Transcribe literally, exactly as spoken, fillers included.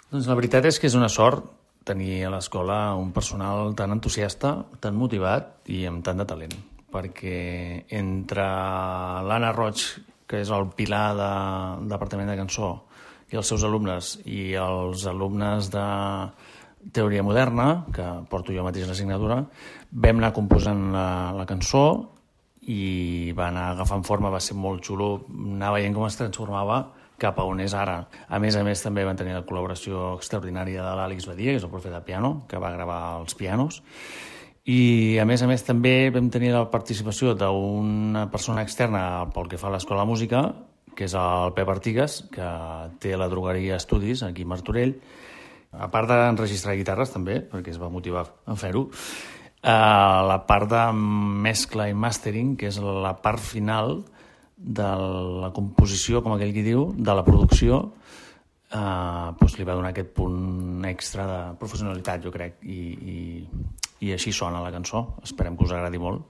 Doncs la veritat és que és una sort tenir a l'escola un personal tan entusiasta, tan motivat i amb tant de talent, perquè entre l'Anna Roig, que és el pilar del Departament de Cançó, i els seus alumnes, i els alumnes de Teoria Moderna, que porto jo mateix l'assignatura, vam anar composant la, la cançó i va anar agafant forma, va ser molt xulo, anar veient com es transformava cap a on és ara. A més a més, també van tenir la col·laboració extraordinària de l'Àlex Badia, que és el profe de piano, que va gravar els pianos. I, a més a més, també vam tenir la participació d'una persona externa pel que fa a l'Escola de Música, que és el Pep Artigas, que té la drogueria Estudis, aquí a Martorell. A part d'enregistrar guitarres, també, perquè es va motivar a fer-ho, eh, la part de mescla i mastering, que és la part final de la composició, com aquell qui diu, de la producció, eh, doncs li va donar aquest punt extra de professionalitat, jo crec, i, i, i així sona la cançó. Esperem que us agradi molt.